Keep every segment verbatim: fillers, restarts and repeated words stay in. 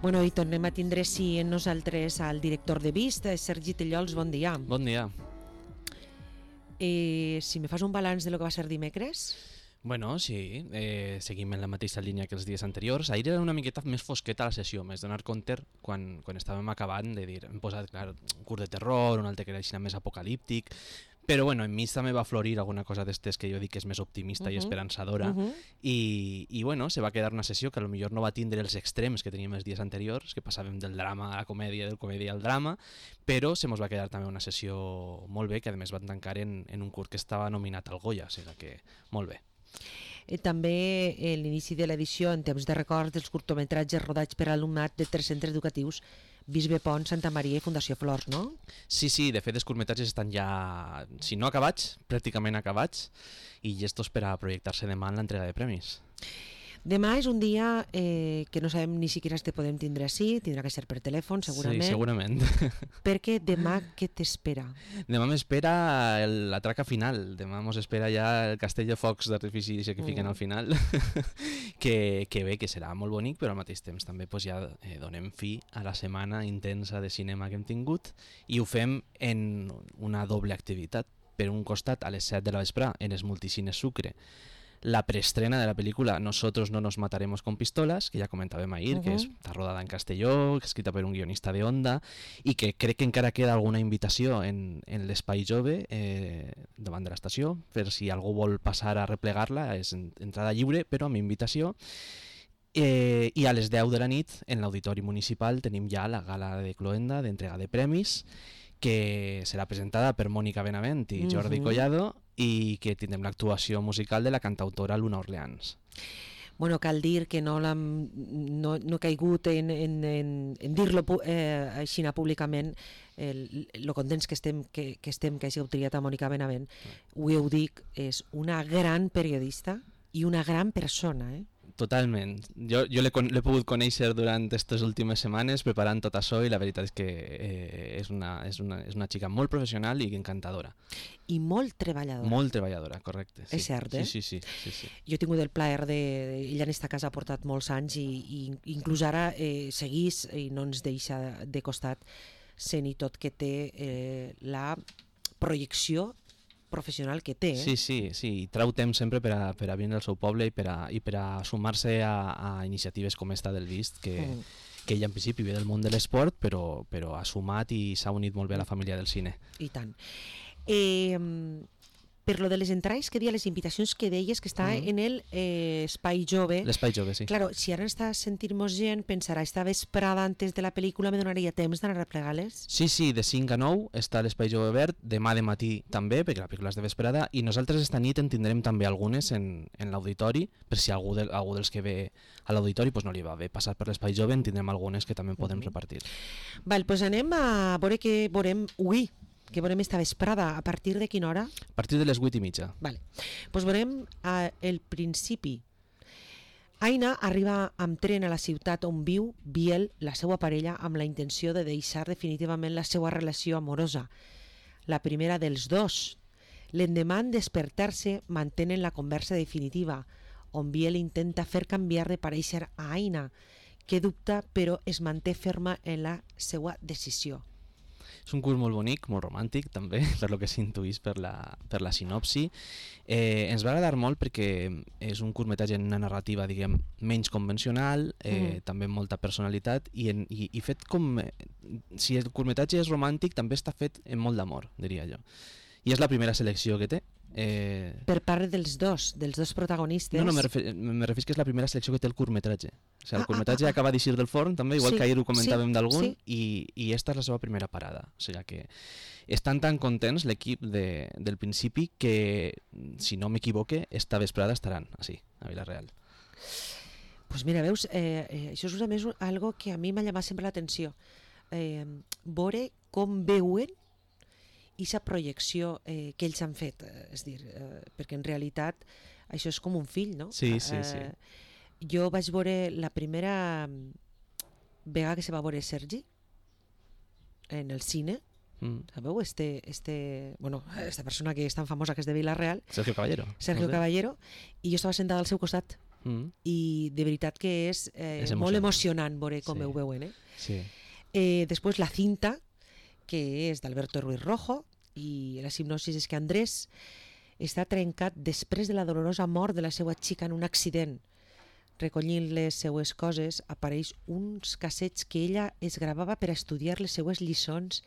Bueno, i tornem a tindre sí en nosaltres al director de Vist, Sergi Tellols, bon dia. Bon dia. Eh, si me fas un balanç de lo que va ser dimecres... Bueno, sí, eh, seguim en la mateixa línia que els dies anteriors. Ahir era una miqueta més fosqueta la sessió, més donar compte quan, quan estàvem acabant de dir, hem posat clar, un curt de terror, un altre que era així més apocalíptic, però bueno, en mi també va florir alguna cosa d'estes que jo dic que és més optimista uh -huh. i esperançadora, uh -huh. i, i bueno, se va quedar una sessió que potser no va tindre els extrems que teníem els dies anteriors, que passàvem del drama a la comèdia, del comèdia al drama, però se mos va quedar també una sessió molt bé, que a més van tancar en, en un curt que estava nominat al Goya, o sigui que molt bé. Eh, també eh, l'inici de l'edició en temps de records dels curtometratges rodats per alumnat de tres centres educatius, Bisbe Pont, Santa Maria i Fundació Flors, no? Sí, sí, de fet els curtmetratges estan ja, si no acabats, pràcticament acabats, i llestos per a projectar-se demà en l'entrega de premis. Demà és un dia eh, que no sabem ni siquiera si podem tindre així, tindrà que ser per telèfon, segurament. Sí, segurament. Perquè demà què t'espera? Demà m'espera la traca final, demà mos espera ja el castell de focs d'artifici que fiquen mm. al final, que, que bé, que serà molt bonic, però al mateix temps també pues, ja eh, donem fi a la setmana intensa de cinema que hem tingut i ho fem en una doble activitat. Per un costat, a les set de la vesprà, en els multicines Sucre, la preestrena de la pel·lícula Nosotros no nos mataremos con pistolas, que ja comentàvem ahir, uh -huh. que està rodada en castelló, escrita per un guionista de Onda, i que crec que encara queda alguna invitació en, en l'Espai Jove eh, davant de l'estació, per si algú vol passar a replegar-la, és entrada lliure, però amb invitació. Eh, I a les deu de la nit, en l'Auditori Municipal, tenim ja la gala de Cloenda d'entrega de premis, que serà presentada per Mònica Benavent i Jordi uh -huh. Collado, i que tindrem l'actuació musical de la cantautora Luna Orleans. Bueno, cal dir que no, no, no he caigut en, en, en, en dir-lo eh, així públicament, el, lo contents que estem que, que estem que hagi triat a Mònica Benavent. Ho heu dit, és una gran periodista i una gran persona, eh? Totalment. Jo, jo l'he pogut conèixer durant aquestes últimes setmanes preparant tot això i la veritat és que eh, és, una, és, una, és una xica molt professional i encantadora. I molt treballadora. Molt treballadora, correcte. Sí. És cert, eh? Sí, sí, sí. sí, sí. Jo he tingut el plaer de... Ella en esta casa ha portat molts anys i, i inclús ara eh, seguís i no ens deixa de costat sent i tot que té eh, la projecció professional que té. Eh? Sí, sí, sí, i trau temps sempre per a, per a vindre al seu poble i per a, i per a sumar-se a, a iniciatives com esta del Vist, que, mm. que ella en principi ve del món de l'esport, però, però ha sumat i s'ha unit molt bé a la família del cine. I tant. Eh, per lo de les entrades, que dia les invitacions que deies que està mm. en el eh, Espai Jove. L'Espai Jove, sí. Claro, si ara està sentir-nos gent, pensarà, esta vesprada antes de la pel·lícula me donaria temps d'anar a replegar-les? Sí, sí, de cinc a nou està l'Espai Jove obert, demà de matí també, perquè la pel·lícula és de vesprada, i nosaltres esta nit en tindrem també algunes en, en l'auditori, per si algú, de, algú dels que ve a l'auditori pues no li va bé passar per l'Espai Jove, en tindrem algunes que també podem mm. repartir. Val, doncs anem a veure què veurem avui. Que veurem esta vesprada, a partir de quina hora? A partir de les vuit i mitja. Vale. Pues veurem eh, el principi. Aina arriba amb tren a la ciutat on viu Biel, la seva parella, amb la intenció de deixar definitivament la seva relació amorosa. La primera dels dos. L'endemà en despertar-se mantenen la conversa definitiva, on Biel intenta fer canviar de parèixer a Aina, que dubta però es manté ferma en la seva decisió. És un curs molt bonic, molt romàntic també, per lo que s'intuís per la, per la sinopsi. Eh, ens va agradar molt perquè és un curtmetratge en una narrativa, diguem, menys convencional, eh, mm. també amb molta personalitat, i, en, i, i fet com... Eh, si el curtmetratge és romàntic, també està fet amb molt d'amor, diria jo. I és la primera selecció que té. Eh... Per part dels dos, dels dos protagonistes. No, no, me refer, me referís que és la primera selecció que té el curtmetratge. O sigui, el curtmetratge ah, ah, ah. acaba d'eixir del forn també, igual sí, que ahir ho comentàvem sí, d'algun, sí. i, i esta és la seva primera parada. O sigui que estan tan contents l'equip de, del principi que, si no m'equivoque, esta vesprada estaran així, a Vila-real. Pues mira, veus, eh, eh, això és a més algo que a mi m'ha llamat sempre l'atenció. Eh, veure com veuen i la projecció eh, que ells han fet, eh, és dir, eh, perquè en realitat això és com un fill, no? Sí, sí, sí. Eh, jo vaig veure la primera vegada que se va veure Sergi en el cine, mm. sabeu? Este, este, bueno, esta persona que és tan famosa que és de Vila-real, Sergio Caballero. Sergio no sé. Caballero, i jo estava sentada al seu costat. Mm. i de veritat que és, eh, És molt emocionant. emocionant veure com Sí. ho veuen. Eh? Sí. Eh, després la cinta, que és d'Alberto Ruiz Rojo, i la hipnosi és que Andrés està trencat després de la dolorosa mort de la seva xica en un accident. Recollint les seues coses, apareix uns cassets que ella es gravava per a estudiar les seues lliçons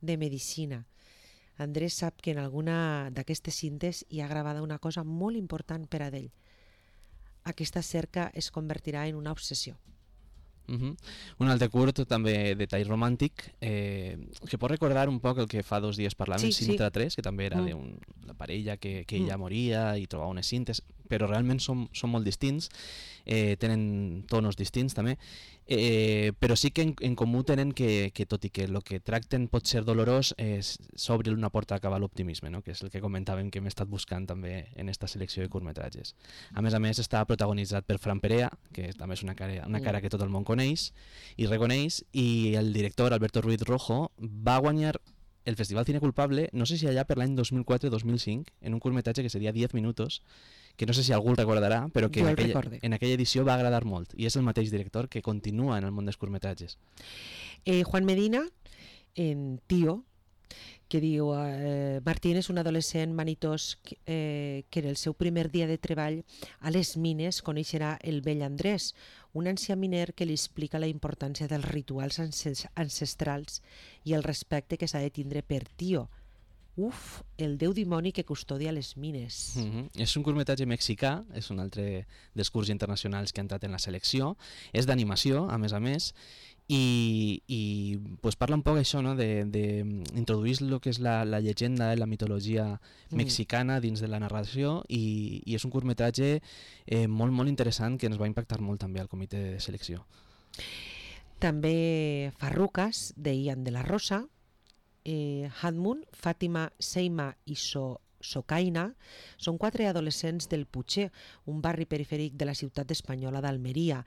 de medicina. Andrés sap que en alguna d'aquestes cintes hi ha gravada una cosa molt important per a ell. Aquesta cerca es convertirà en una obsessió. Uh-huh. Un altre curt, també de tall romàntic, eh, que pot recordar un poc el que fa dos dies parlàvem, Sí, sí. Sintra tres, que també era Mm. de la parella que, que Mm. ella moria i trobava unes cintes, però realment són, són molt distints, eh, tenen tonos distints també, eh, però sí que en, en comú tenen que, que tot i que el que tracten pot ser dolorós, eh, s'obre una porta cap a l'optimisme, no? Que és el que comentàvem que hem estat buscant també en esta selecció de curtmetratges. A més a més està protagonitzat per Fran Perea, que també és una cara, una cara que tot el món coneix i reconeix, i el director Alberto Ruiz Rojo va guanyar el Festival Cine Culpable, no sé si allà per l'any dos mil quatre dos mil cinc, en un curtmetratge que seria diez minutos, que no sé si algú el recordarà, però que Jo en el aquella, recorde. en aquella edició va agradar molt, i és el mateix director que continua en el món dels curtmetratges. Eh, Juan Medina, en Tío, que diu eh, Martín és un adolescent vanitós que, eh, que en el seu primer dia de treball a les mines coneixerà el vell Andrés, un ancià miner que li explica la importància dels rituals ancestrals i el respecte que s'ha de tindre per Tío. Uf, el déu dimoni que custodia les mines. Mm-hmm. És un curtmetratge mexicà, és un altre dels curts internacionals que ha entrat en la selecció, és d'animació, a més a més, i, i pues parla un poc això, no? d'introduir el que és la, la llegenda, la mitologia mexicana dins de la narració, i, i és un curtmetratge eh, molt, molt interessant que ens va impactar molt també al comitè de selecció. També Farrucas, de Ian de la Rosa, eh, Hadmun, Fàtima, Seima i so Socaina són quatre adolescents del Puigcer, un barri perifèric de la ciutat espanyola d'Almeria.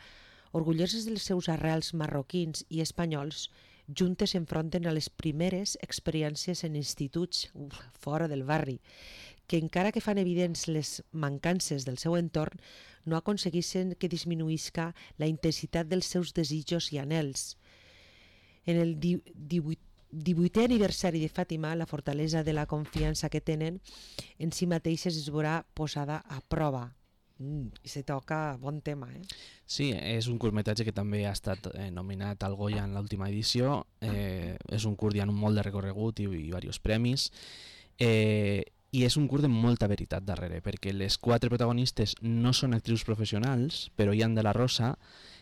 Orgulloses dels seus arrels marroquins i espanyols, juntes s'enfronten a les primeres experiències en instituts uf, fora del barri, que encara que fan evidents les mancances del seu entorn, no aconseguissin que disminuïsca la intensitat dels seus desitjos i anhels. En el divuit divuitè aniversari de Fàtima, la fortalesa de la confiança que tenen en si mateixes es veurà posada a prova. Mm, I se toca bon tema, eh? Sí, és un curtmetratge que també ha estat eh, nominat al Goya en l'última edició. Eh, és un curt amb molt de recorregut i, i diversos premis. Eh, I és un curt de molta veritat darrere, perquè les quatre protagonistes no són actrius professionals, però Ian de la Rosa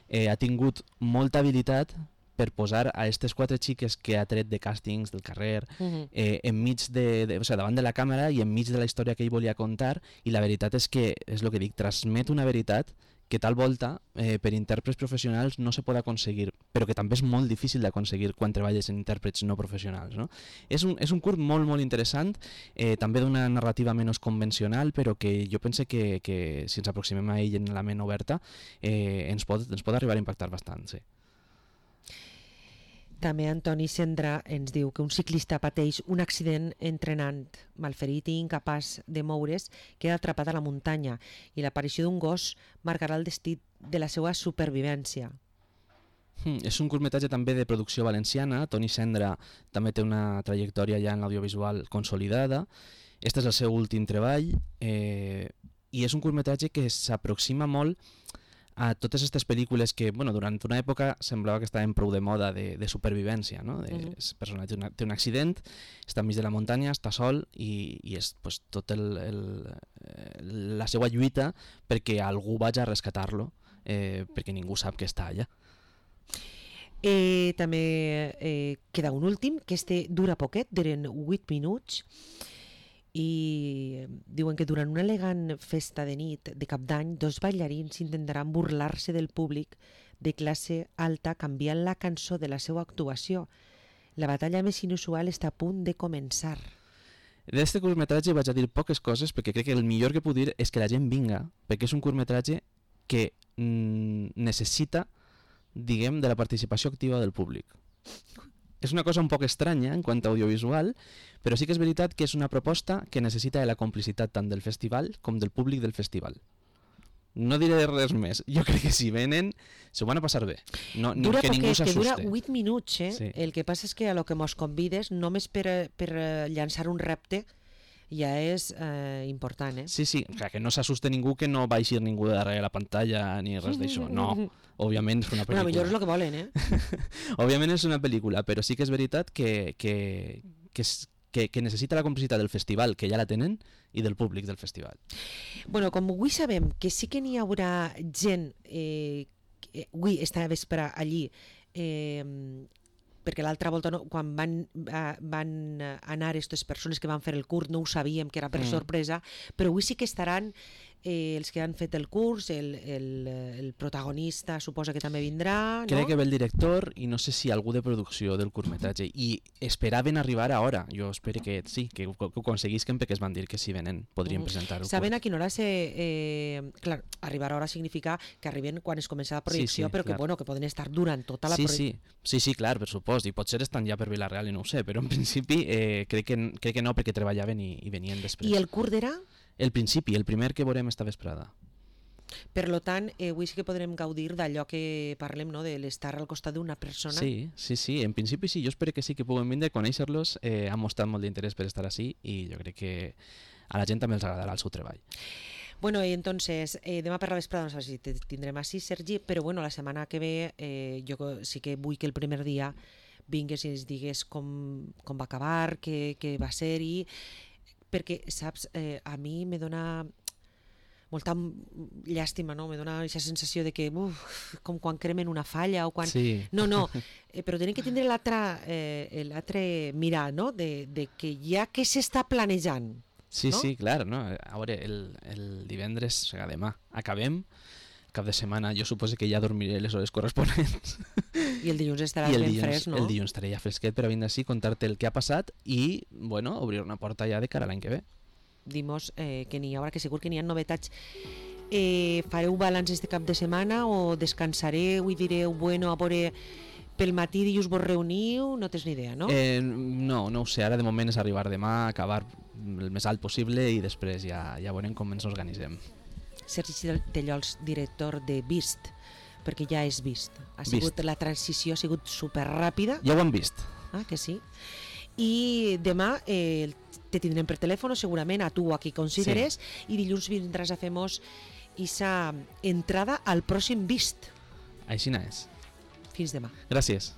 eh, ha tingut molta habilitat per posar a aquestes quatre xiques que ha tret de càstings del carrer Uh-huh. eh, enmig de, de, o sigui, davant de la càmera i enmig de la història que ell volia contar, i la veritat és que, és el que dic, transmet una veritat que tal volta eh, per intèrprets professionals no se pot aconseguir, però que també és molt difícil d'aconseguir quan treballes en intèrprets no professionals, no? És un, és un curt molt, molt interessant, eh, també d'una narrativa menys convencional, però que jo pense que, que si ens aproximem a ell en la ment oberta eh, ens, pot, ens pot arribar a impactar bastant, sí. També Antoni Cendra ens diu que un ciclista pateix un accident entrenant, malferit i incapaç de moure's, queda atrapat a la muntanya i l'aparició d'un gos marcarà el destí de la seva supervivència. Hmm, és un curtmetratge també de producció valenciana. Toni Cendra també té una trajectòria ja en l'audiovisual consolidada. Este és el seu últim treball eh, i és un curtmetratge que s'aproxima molt a totes aquestes pel·lícules que, bueno, durant una època semblava que estaven prou de moda de, de supervivència, no? De, Uh-huh. el personatge té, una, té un accident, està enmig de la muntanya, està sol i, i és pues, tot el, el, la seva lluita perquè algú vagi a rescatar-lo, eh, perquè ningú sap que està allà. Eh, també eh, queda un últim, que este dura poquet, duren vuit minuts, i diuen que durant una elegant festa de nit de cap d'any, dos ballarins intentaran burlar-se del públic de classe alta canviant la cançó de la seva actuació. La batalla més inusual està a punt de començar. D'este curtmetratge vaig a dir poques coses perquè crec que el millor que puc dir és que la gent vinga, perquè és un curtmetratge que mm, necessita, diguem, de la participació activa del públic. És una cosa un poc estranya en quant a audiovisual, però sí que és veritat que és una proposta que necessita de la complicitat tant del festival com del públic del festival. No diré res més. Jo crec que si venen, s'ho van a passar bé. No, dura que ningú s'assuste. Dura huit minuts, eh? Sí. El que passa és que a lo que mos convides, només per, per llançar un repte, ja és eh, important, eh? Sí, sí, clar, que no s'assuste ningú, que no va eixir ningú darrere la pantalla ni res d'això. No, òbviament és una pel·lícula. Bueno, millor és el que volen, eh? Òbviament és una pel·lícula, però sí que és veritat que, que, que, que, que necessita la complicitat del festival, que ja la tenen, i del públic del festival. Bueno, com avui sabem que sí que n'hi haurà gent, eh, que, avui esta vespre allí, eh, perquè l'altra volta no, quan van, van anar aquestes persones que van fer el curs no ho sabíem, que era per mm. sorpresa, però avui sí que estaran eh, els que han fet el curs, el, el, el protagonista suposa que també vindrà, no? Crec que ve el director i no sé si algú de producció del curtmetratge, i esperaven arribar a hora. Jo espero que sí, que, que ho aconseguisquen, perquè es van dir que si venen podrien mm. presentar el Saben curt. a quina hora se... Eh, clar, arribar a hora significa que arriben quan es comença la projecció, sí, sí, però que, bueno, que poden estar durant tota la sí, projecció. Sí, sí, sí, clar, per supost, i potser estan ja per Vila-real i no ho sé, però en principi eh, crec, que, crec que no, perquè treballaven i, i venien després. I el curt era? El principi, el primer que veurem esta vesprada. Per lo tant, eh, avui sí que podrem gaudir d'allò que parlem, no? De l'estar al costat d'una persona. Sí, sí, sí, en principi sí, jo espero que sí que puguem vindre, conèixer-los, eh, han mostrat molt d'interès per estar així i jo crec que a la gent també els agradarà el seu treball. Bueno, y entonces, eh, demà per la vesprada no sé si te tindrem així, Sergi, però bueno, la setmana que ve eh, jo sí que vull que el primer dia vingues i ens digues com, com va acabar, què, què va ser, i perquè, saps, eh, a mi me dona molta llàstima, no? Me dona aquesta sensació de que, uf, com quan cremen una falla o quan... Sí. No, no, eh, però tenim que tindre l'altre eh, l'altre mirar, no? De, de que ja que s'està planejant. Sí, no? sí, clar, no? A veure, el, el divendres, o sigui, demà, acabem, cap de setmana jo suposo que ja dormiré les hores corresponents. I el dilluns estaràs ben fresc, no? El dilluns estaré ja fresquet per a vindre així, contar-te el que ha passat i, bueno, obrir una porta ja de cara a l'any que ve. Dimos eh, que n'hi haurà, que segur que n'hi ha novetats. Eh, fareu balanç este cap de setmana o descansareu i direu, bueno, a veure, pel matí dilluns vos reuniu? No tens ni idea, no? Eh, no, no ho sé, ara de moment és arribar demà, acabar el més alt possible i després ja, ja veurem com ens organitzem. Sergi Tellols, director de Vist, perquè ja és Vist. Ha sigut, Vist. La transició ha sigut superràpida. Ja ho hem vist. Ah, que sí. I demà eh, te tindrem per telèfon, segurament, a tu o a qui consideres, sí. I dilluns vindràs a fer-nos aquesta entrada al pròxim Vist. Així n'és. Fins demà. Gràcies.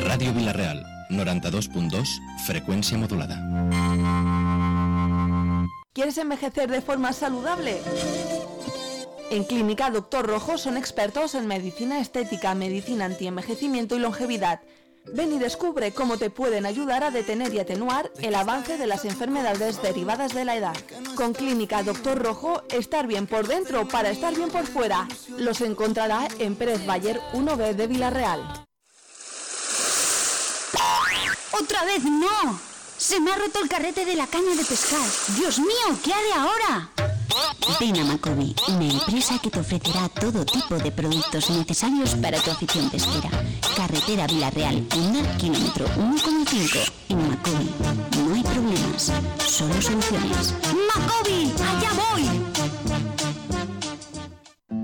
Ràdio Vila-real, noranta-dos punt dos, frecuencia modulada. ¿Quieres envejecer de forma saludable? En Clínica Doctor Rojo son expertos en medicina estética, medicina antienvejecimiento y longevidad. Ven y descubre cómo te pueden ayudar a detener y atenuar el avance de las enfermedades derivadas de la edad. Con Clínica Doctor Rojo, estar bien por dentro para estar bien por fuera. Los encontrará en Pérez Bayer uno B de Vila-real. ¡Otra vez no! ¡Se me ha roto el carrete de la caña de pescar! ¡Dios mío! ¿Qué haré ahora? Ven a Macobi, una empresa que te ofrecerá todo tipo de productos necesarios para tu afición pesquera. Carretera Vila-real, Onda, kilómetro uno coma cinco. En Macobi no hay problemas, solo soluciones. ¡Macobi!